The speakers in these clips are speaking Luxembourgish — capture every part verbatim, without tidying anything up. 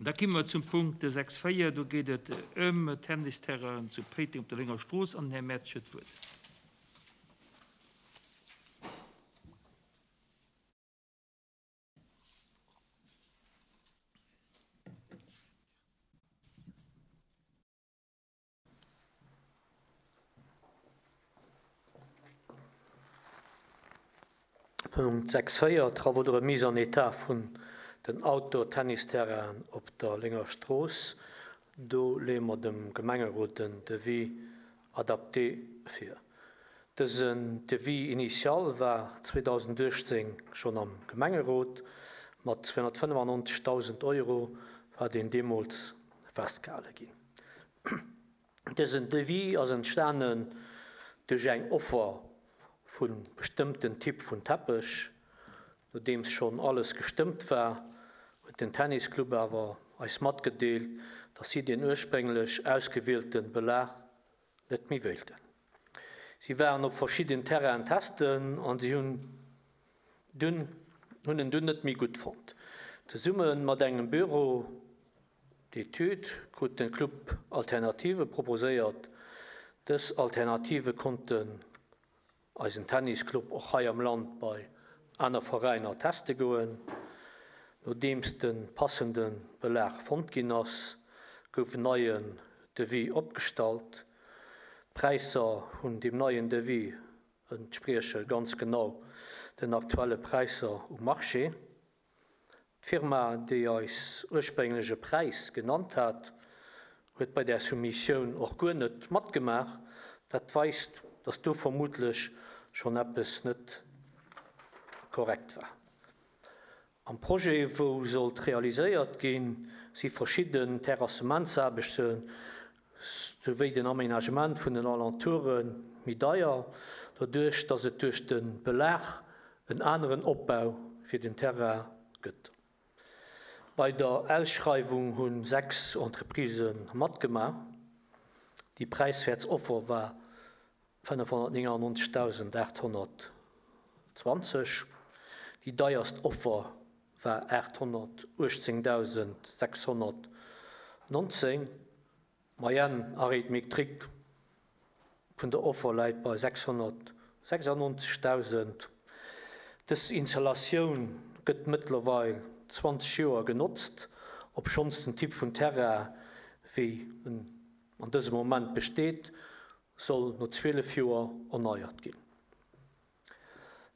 Da komme mer zum Punkt sechs véier. Do geet et ëm Tennisterrainen zu Péiteng op der Lénger Strooss an den Här Mertsch huet d'Wuert. Punkt sechs véier, Travaux de remise en état vun den Outdoor-Tennisterrainen op der Lénger Strooss. Do leeë mer dem Gemengerot den Devis adapté vir. Dësen Devis initial war zweedausenduechtzéng schonn am Gemengerot. Mat zweehonnertfënnefannonzegdausend Euro war deen deemools festgehale ginn. Dësen Devis ass entstanen duerch eng Offer vu bestëmmten Typ vun Teppech. Nodeems schonn alles gestëmmt war, huet den Tennisclub awer eis matgedeelt, datt si den ursprénglech ausgewielten Belag net méi wéilten. Si waren op verschidden Terrainen testen an si hunn dunn, hunn en dunn net méi gutt fonnt. Zesumme mat engem Bureau d'études krut den Club Alternative proposéiert. Dës Alternative konnten eisen Tennisclub och hei am Land bei aner Veräiner teste goen. Nodeems de passende Belag fonnt ginn ass, gouf en neien Devis opgestallt. D'Präisser vun deem neien Devis entsprieche ganz genau den aktuelle Präisser um Marché. D'Firma, déi eis ursprénglech e Präis genannt hat, huet bei der Soumissioun och guer net matgemaach. Dat weist, datt do vermutlech schonn eppes net korrekt war. Am Projet, wou sollt realiséiert ginn, si verschidden Terrassementsaarbechte souwéi den Aménagement vun den Alentoure méi deier, doduerch datt et duerch de Belag en aneren Opbau fir den Terrain gëtt. Bei der Ausschreiwung hu sechs Entreprisë matgemaach. Déi präiswäertst Offer war fënnefhonnertnéngannonzegdausendaathonnertzwanzeg. Déi deierst Offer war aathonnertuechtzéngdausendsechshonnertnonzéng. D'Moyenne arithmétrique vun der Offer läit bei sechshonnertsechsundneunzigtausend. Dës Installatioun gëtt mëttlerweil zwanzeg Joer genotzt, obschonns den Typ vun Terrain, wéi en an dësem Moment besteet, soll no zwielef Joer erneiert ginn.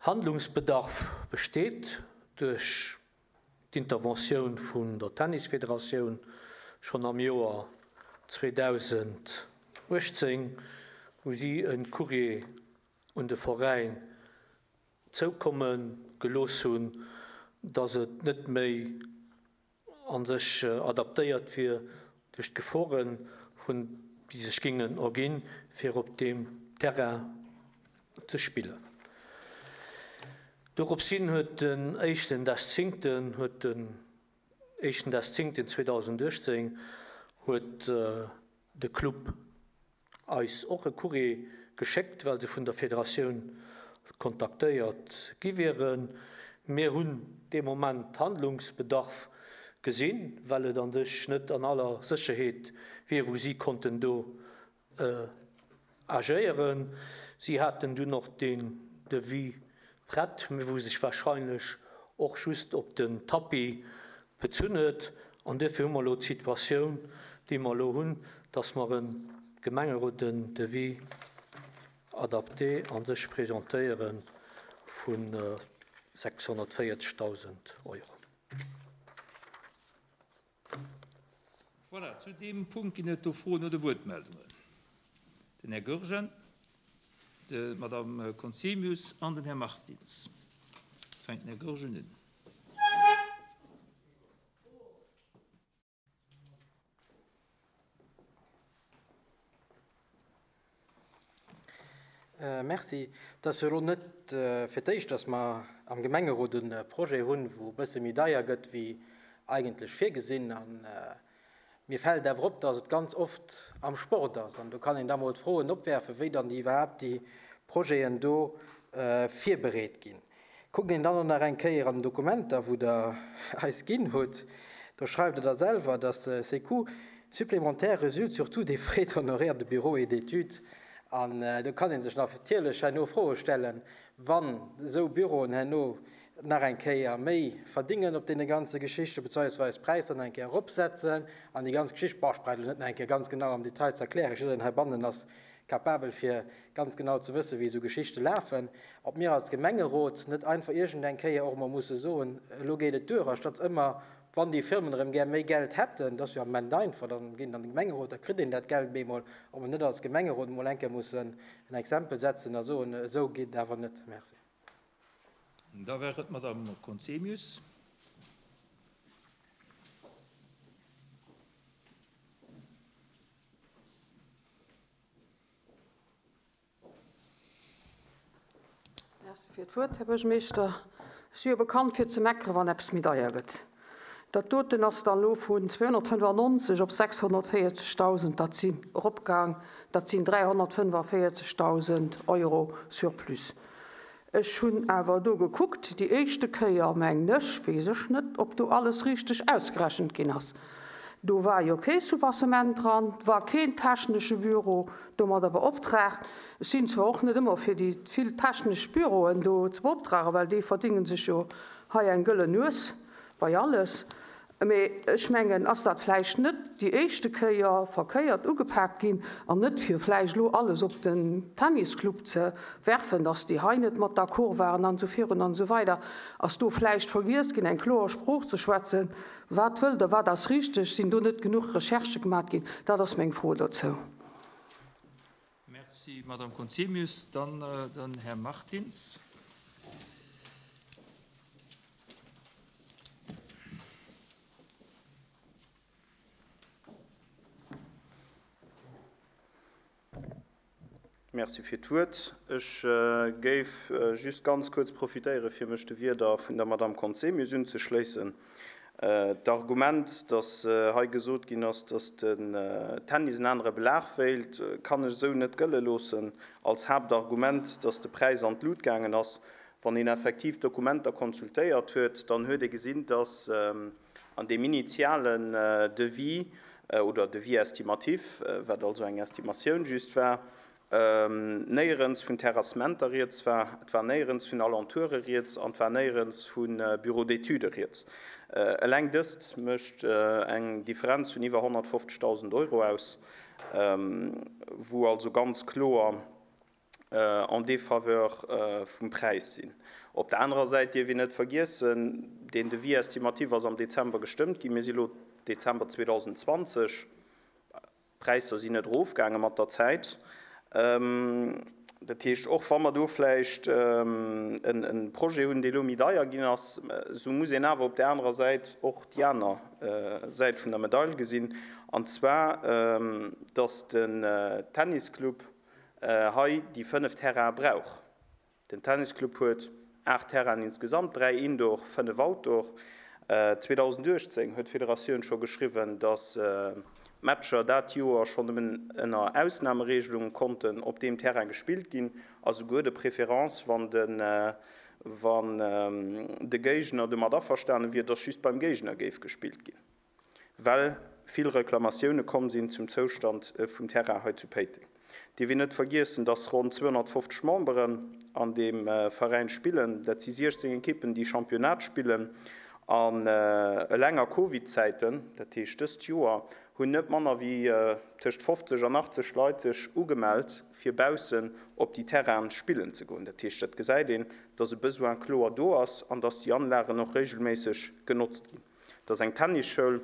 Handlungsbedarf besteet duerch d'Interventioun vun der Tennisfederatioun schonn am Joer zweedausenduechtzéng, wou si en Courrier un de Veräin zoukomme gelooss hunn, datt et net méi an sech adaptéiert wier duerch d'Geforen, vun déi sech gingen erginn, fir op deem Terrain ze spillen. Doropshin huet den éischten des Zéngten, huet den éischten des Zéngten zweedausenduechtzéng huet de Club eis och e Courrier geschéckt, well se vun der Federatioun kontaktéiert gi wieren. Mir hunn dee Moment Handlungsbedarf gesinn, well et an sech net an aller Sécherheet wier, wou si konnten do agéieren. Si haten dunn och den Devis prett, mee wou sech warscheinlech och just op den Tapis bezunn huet. An dofir hu mer elo d'Situatioun, déi mer elo hunn, datt mer en Gemengerot den Devis adapté an sech presentéiere vun sechshonnertvéierzegdausend Euro. Voilà, zu deem Punkt ginn et do Froen oder Wuertmeldungen. Den Här Goergen, d'Madame Conzemius an den Här Martins. Fänkt den Här Goergen un. Merci. Et ass jo elo net fir d'éischt, datt mer am Gemengerot e Projet hunn, wou e bësse méi deier gëtt, wéi eigentlech virgesinn. An mir fält awer op, datt et ganz oft am Sport ass. An do kann een da mol d'Froen opwerfen, wéi dann déi iwwerhaapt déi Projeten do virbereet ginn. Kuckt een dann och nach eng Kéier an den Dokumenter, wou der eis ginn hutt, Do schreift Der da selwer, dass ces coûts supplémentaires résultent surtout des frais d'honoraires de bureau et d'études. An do kann ee sech natierlech herno Froe stellen, wann esou Büroen herno nach eng Kéier méi verdingen op deene ganze Geschichte beziehungsweise d'Präisser nach eng Kéier eropsetzen an déi ganz Geschicht, boah, ech brauch elo net nach eng Kéier ganz genau am Detail ze erklären, jiddereen heibannen ass capabel fir ganz genau ze wëssen, wéi esou Geschichte lafen, ob mir als Gemengerot net einfach iergendeng Kéier och emol musse soen, elo geet et duer, anstatt ëmmer, wann déi Firmen erëm gär méi Geld hätten, dat ass jo am Moment einfach, dann ginn an de Gemengerot, da kritt een dat Geld bemol, ob mer net als Gemengerot emol eng Kéier mussen en Exempel setzen a soen, esou geet et awer net. Merci. Da wär et d'Madame Conzemius. Merci fir d'Wuert, Här Buergermeeschter. Ech si jo bekannt fir ze meckeren, wann eppes méi deier gëtt. Dat doten ass dann elo vun zweehonnertfënnefannonzeg op sechshonnertvéierzegdausend, dat sinn eropgaang, dat sinn dräihonnertfënnefavierzegdausend Euro Surplus. Ech hunn awer do gekuckt, déi éischte Kéier, mengen ech, weess ech net, ob do alles richteg ausgerechent ginn ass, do war jo kee Soubassement dran, war keen technesche Büro domadder beoptraagt. Ech sinn zwar och net ëmmer fir déi vill technesch Büroen do ze beoptragen, well déi verdénge sech jo hei eng gëllen Nues bei alles. Mee ech mengen, ass dat vläicht net déi éischte Kéier verkéiert ugepaakt ginn an net fir vläicht elo alles op den Tennisclub ze werfen, dass déi hei net mat d'accord waren an esou virun an esou weider, ass do vläicht vergiess ginn, eng kloer Sprooch ze schwätzen, wat wëllt Der, wat ass richteg, sinn do net genuch Recherchë gemaat ginn? Dat ass meng Fro dozou. Merci, Madame Conzemius. Dann den Här Martins. Merci fir d'Wuert. Ech géif just ganz kuerz profitéieren, fir mech de Wierder vun der Madame Conzemius unzeschléissen. D'Argument, dass hei gesot ginn ass, dass den Tennis en anere Belag wéilt, kann ech esou net gëlle loossen als Haaptargument, dass de Präis an d'Lut gaangen ass. Wann een effektiv d'Dokumenter consultéiert huet, dann huet ee gesinn, dass an deem initialen Devis oder Devis estimatif, wat also eng Estimatioun just war, néierens vun Terrassementer rieds war, et war néierens vun Alentoure rieds an et war néierens vu Bureaux d'études rieds. Eleng dëst mécht eng Differenz vun iwwer honnertfofzegdausend Euro aus, wou also ganz kloer en défaveur vum Präis sinn. Op der anerer Säit dierf een net vergiessen, deen Devis estimatif ass am Dezember gestëmmt ginn, mir si lo Dezember zweedausendzwanzeg, d'Präisser sinn net erofgaange mat der Zäit. Dat heescht, och wa mer do vläicht e Projet hunn, dee elo méi deier ginn ass, esou muss een awer op där anerer Säit och déi aner Säit vun der Medail gesinn, an zwar, dass den Tennisclub hei déi fënnef Terraine brauch. Den Tennisclub huet aacht Terrainen insgesamt, dräi Indoor, fënnef Outdoor. zweedausenduechtzéng huet d'Federatioun scho geschriwwen, dass d'Matcher dat Joer schonn nëmmen ënner Ausnameregelunge konnten op deem Terrain gespillt ginn, a souguer de préférence, wann de wann de Géigner domat averstane wier, dass just beim Géigner géif gespillt ginn, well vill Reklamatioune komm sinn zum Zoustand vum Terrain hei zu Péiteng. Dierf een net vergiessen, dass ronn zweehonnertfofzeg Memberen an deem Veräin spillen. Dat si siechzéng Ekippen, déi Championnat spillen. An eleng a Covid-Zäiten, dat heescht dëst Joer, hunn net manner wéi tëscht fofzeg an achtzeg Leit sech ugemellt, fir baussen op déi Terrainen spillen ze goen. Dat heescht, dat gesäit een, dass e Besoin kloer do ass an dass déi Anlagen och regelméisseg genotzt ginn. Dat ass eng Tennisschoul,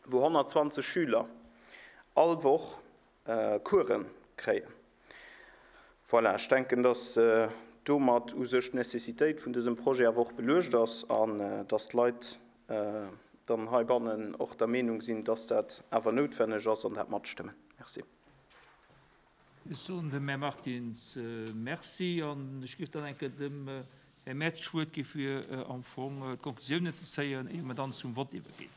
wou honnertzwanzeg Schüler all Woch Coursen kréien. Voilà, ech denken, dass domat u sech d'Nécessitéit vun dësem Projet awer och beluecht ass an dass d'Leit dann heibannen och der Meenung sinn, dass dat awer noutwenneg ass an dat matstëmmen. Merci. Ech soen dem Här Martins Merci an ech géif dann eng Kéier dem Här Merz d'Wuert gi fir am Fong d'Konklusiounen ze zéien, ier mer dann zum Vott iwwerginn.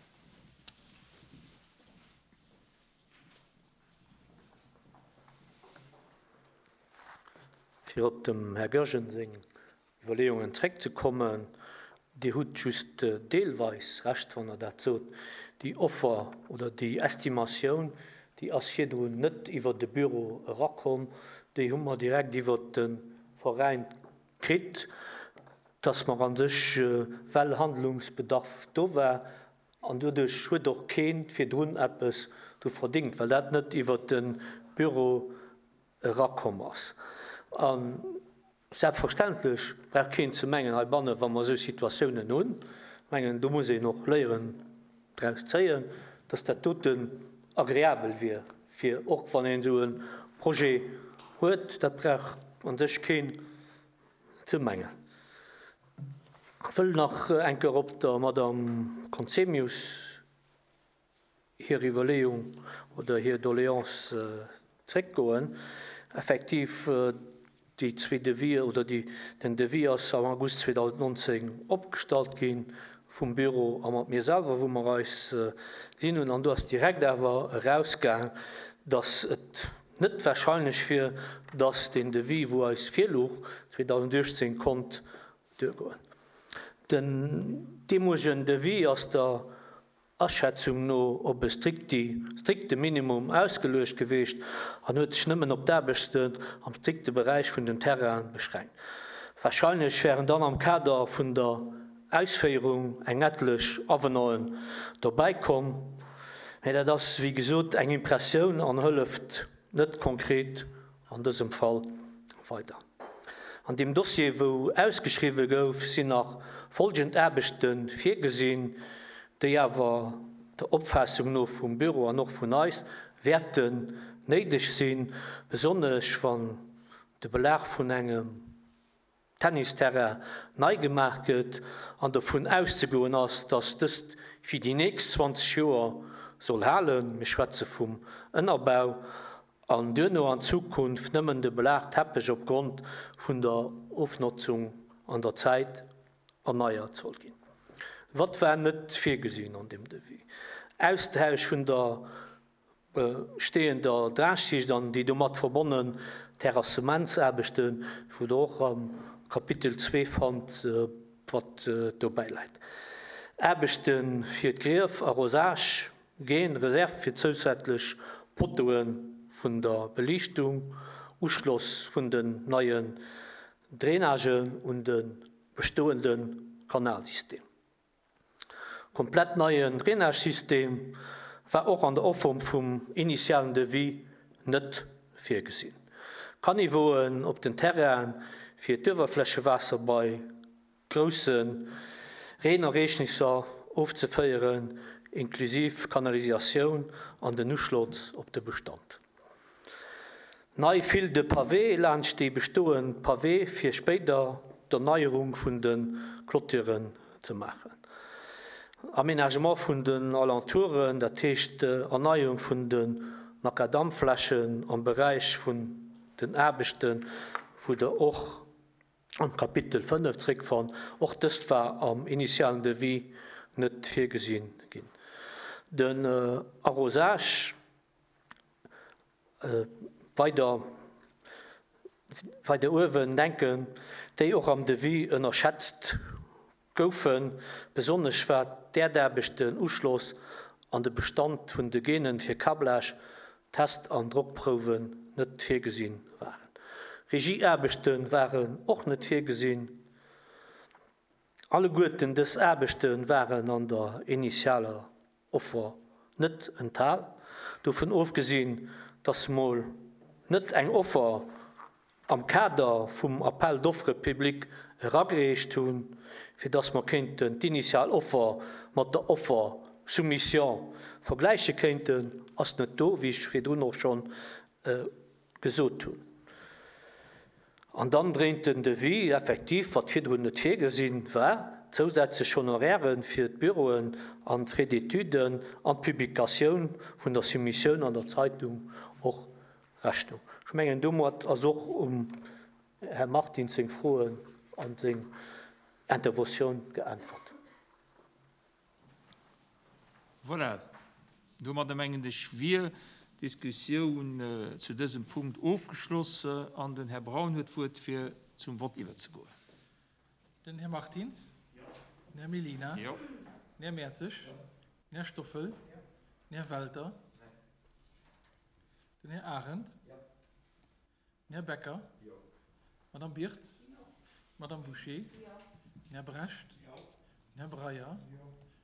Fir op dem Här Goergen seng Iwwerleeungen zréckzekommen, Dir hutt just deelweis Recht, wann Der dat sot. Déi Offer oder déi Estimatioun, déi ass virdrun net iwwer de Büro erakomm, déi hu mer direkt iwwer de Veräin kritt, dass mer a sech, well Handlungsbedarf do war, an doduerch huet och kee virdrun eppes dru verdingt, well dat net iwwer de Büro erakomm ass. A selbstverständlech brauch keen ze mengen heibannen, wa mer esou Situatiounen hunn, ech mengen, do muss een och Léieren draus zéien, dass dat doten agreabel wier, fir och wann een esou e Projet huet, dat brauch a sech keen ze mengen. Ech wëll nach eng Kéier op der Madame Conzemius hir Iwwerleeung oder hir Doléance zréckgoen. Effektiv, déi zwee Devis oder déi, den Devis ass am August zweedausendnonzéng opgestallt gi vum Büro a mat mir selwer, wou mer eis gesinn hunn. An do ass direkt awer erausgaang, dass et net wahrscheinlech wier, dass deen Devis, wou eis virluch, zweedausenduechtzéng konnt duergoen. Den deemolegen Devis ass der Aschätzung no op e strikte Minimum ausgeluecht geweecht an huet sech nëmmen op d'Aarbechten am strikte Beräich vun den Terrainen beschränkt. Wahrscheinlech wären dann am Kader vun der Ausféierung eng etlech Avenanten dobäi komm, mä dat ass wéi gesot eng Impressioun an hëlleft net konkret an dësem Fall weider. An deem Dossier, wou ausgeschriwwe gouf, sinn nach folgend Aarbechte virgesinn, déi awer der Opfaassung no vum Büro an och vun eis wäerten néideg sinn, besonnesch wann de Belag vun engem Tennisterrain nei gemaach gëtt an dovun auszegoen ass, dass dëst fir déi nächst zwanzeg Joer soll halen, mir schwätze vum Ënnerbau, an duerno an Zukunft nëmmen de Belagteppech opgrond vun der Ofnotzung an der Zäit erneiert soll ginn. Wat war net virgesinn an deem Devis? Austausch vun der bestehender Dragschicht an déi domat verbonnen Terrassementsaarbechten, wou Der och am Kapitel zwee fannt, wat dobäi läit. Aarbechte fir d'Grief, Arrosage, Geen, Reserve fir zousätzlech Poteaue vun der Beliichtung, Uschloss vun den neien Drainagen un de bestoende Kanalsystem. Komplett neien Drainagesystem war och an der Offer vum initialen Devis net virgesinn. Caniveauen op den Terrainen fir d'Uewerflächewaasser bei grousse Reenereegnisser ofzeféieren, inklusiv Kanalisatioun an den Uschloss op de Bestand. Nei File de Pavé laanscht déi bestoend Pavé fir spéider d'Erneierung vun de Clôturen ze maachen. Aménagement vun den Alentouren, dat heescht Erneierung vun de Makadamflächen am Beräich vun den Aarbechten, wou Der och am Kapitel fënnef zréckfannt. Och dëst war am initialen Devis net virgesinn ginn. Den Arrosage weider weider uewen denken, déi och am Devis ënnerschätzt goufen, besonnesch wat d'Äerdaarbechten, Uschloss an de Bestand vun de Genen fir Câblage, Test an Drockprouwen net virgesinn waren. Regieaarbechte waren och net virgesinn. Alleguerten dës Aarbechte waren an der initialer Offer net enthal. Dovun ofgesinn, dass mol net eng Offer am Kader vum Appel d'offres public eragereecht hunn, fir dass mer kéinten d'initial Offer mat der Offer soumission vergläiche kéinten, ass net do, wéi ech virdrun och schonn gesot hunn. An dann dréint den Devis effektiv, wat virdrun net virgesinn war, zousätzlech Honorairen fir d'Büroen an d'Frais d'études an d'Publikatioun vun der Soumissioun an der Zeitung och Rechnung. Ech mengen, domat ass och um Här Martins seng Froen an seng Interventioun geäntwert. Voilà, domadder mengen ech wier d'Diskussioun zu dësem Punkt ofgeschloss an den Här Braun huet d'Wuert fir zum Vott iwwerzegoen. Den Här Martins. Den Här Mellina. Jo. Den Här Mertzig. Den Här Stoffel. Den Här Welter. Den Här Arendt. Den Här Becker. Madame Birtz. Madame Boucher. Den Här Brecht. Den Här Breyer.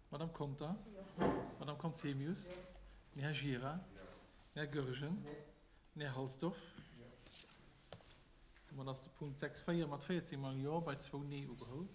Madame Conter. Madame Conzemius. Den Här Gira. Den Här Goergen. Den Här Halsdorf. Domat ass de Punkt sechs véier mat véierzéng mol Jo bei zwou Nee ugeholl.